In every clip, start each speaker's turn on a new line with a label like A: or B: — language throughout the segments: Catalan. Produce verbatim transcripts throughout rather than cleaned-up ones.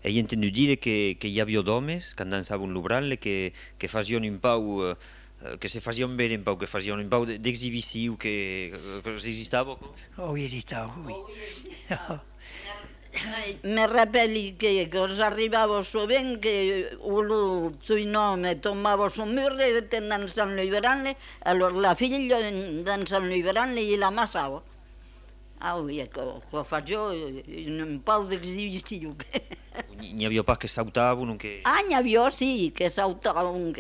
A: he entenut dire que, que hi havia homes que dansaven lo branle, que, que facien un pau, eh, que se facien veure un pau, que facien un pau d'exhibició, que, que esistava.
B: Oui, esistava, oui.
C: Me rappelli che cosa arrivava sovint che uno sui nomi tombava su mur e dansant il branle, allora la figlia dansant il branle i la massava. Ah oui, ecco, qua faccio un po' d'esibizione.
A: N'hi havia pas que saltaven, que...
C: Ah, n'hi havia sì, che saltavano.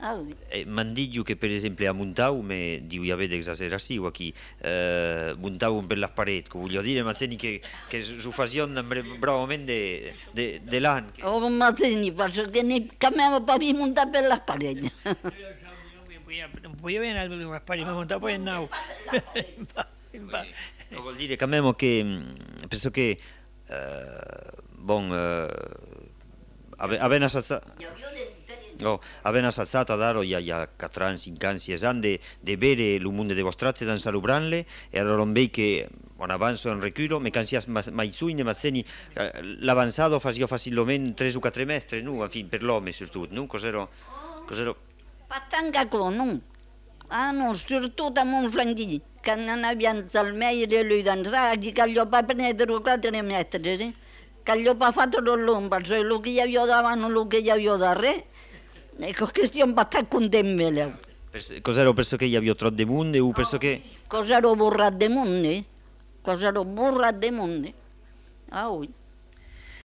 C: Ah oui.
A: Eh, m'han dit que, per exemple, a Montau, me diu, hi havia d'exageració aquí, eh, muntaven per les parets, que volia dir, Mazzeni, que, que s'ho facien bravament de, de, de l'any. Que...
C: Oh, Mazzini, perché ne cambiava per montare per le pareti.
B: Non podia venire alle pareti, ma montava poi in nau.
A: No, vuol dire, cambiamo che, penso che, eh, bon, eh, avevano assazzato... Oh, avevano salzato ad Aro, hi ha quatre anys, cinc anys, sis anys de, de veure el mundo de vostratze dans el branle, e allora on veig que, on avanzo en reculo, me cansias mai suine, ma seni, l'avanzado faccio facilment tres o quatre mestres, no? En fin, per l'home, sobretot, no? Cos'ero... Cos'ero...
C: Pas tant que con, no? Ah, no, sobretot amb un flanquí, que n'anaven al meire lui dansar, i que allò va prendre quatre mestres, eh? Que allò va fatto l'ombra, cioè el que hi havia davant, el que hi havia darrere, ecco che stiamo bastant contents med leu.
A: Cos'ero, penso che hi havia trot de monde, o penso che...
C: Cos'ero burrat de monde? Cos'ero burrat de monde? Ah, oui.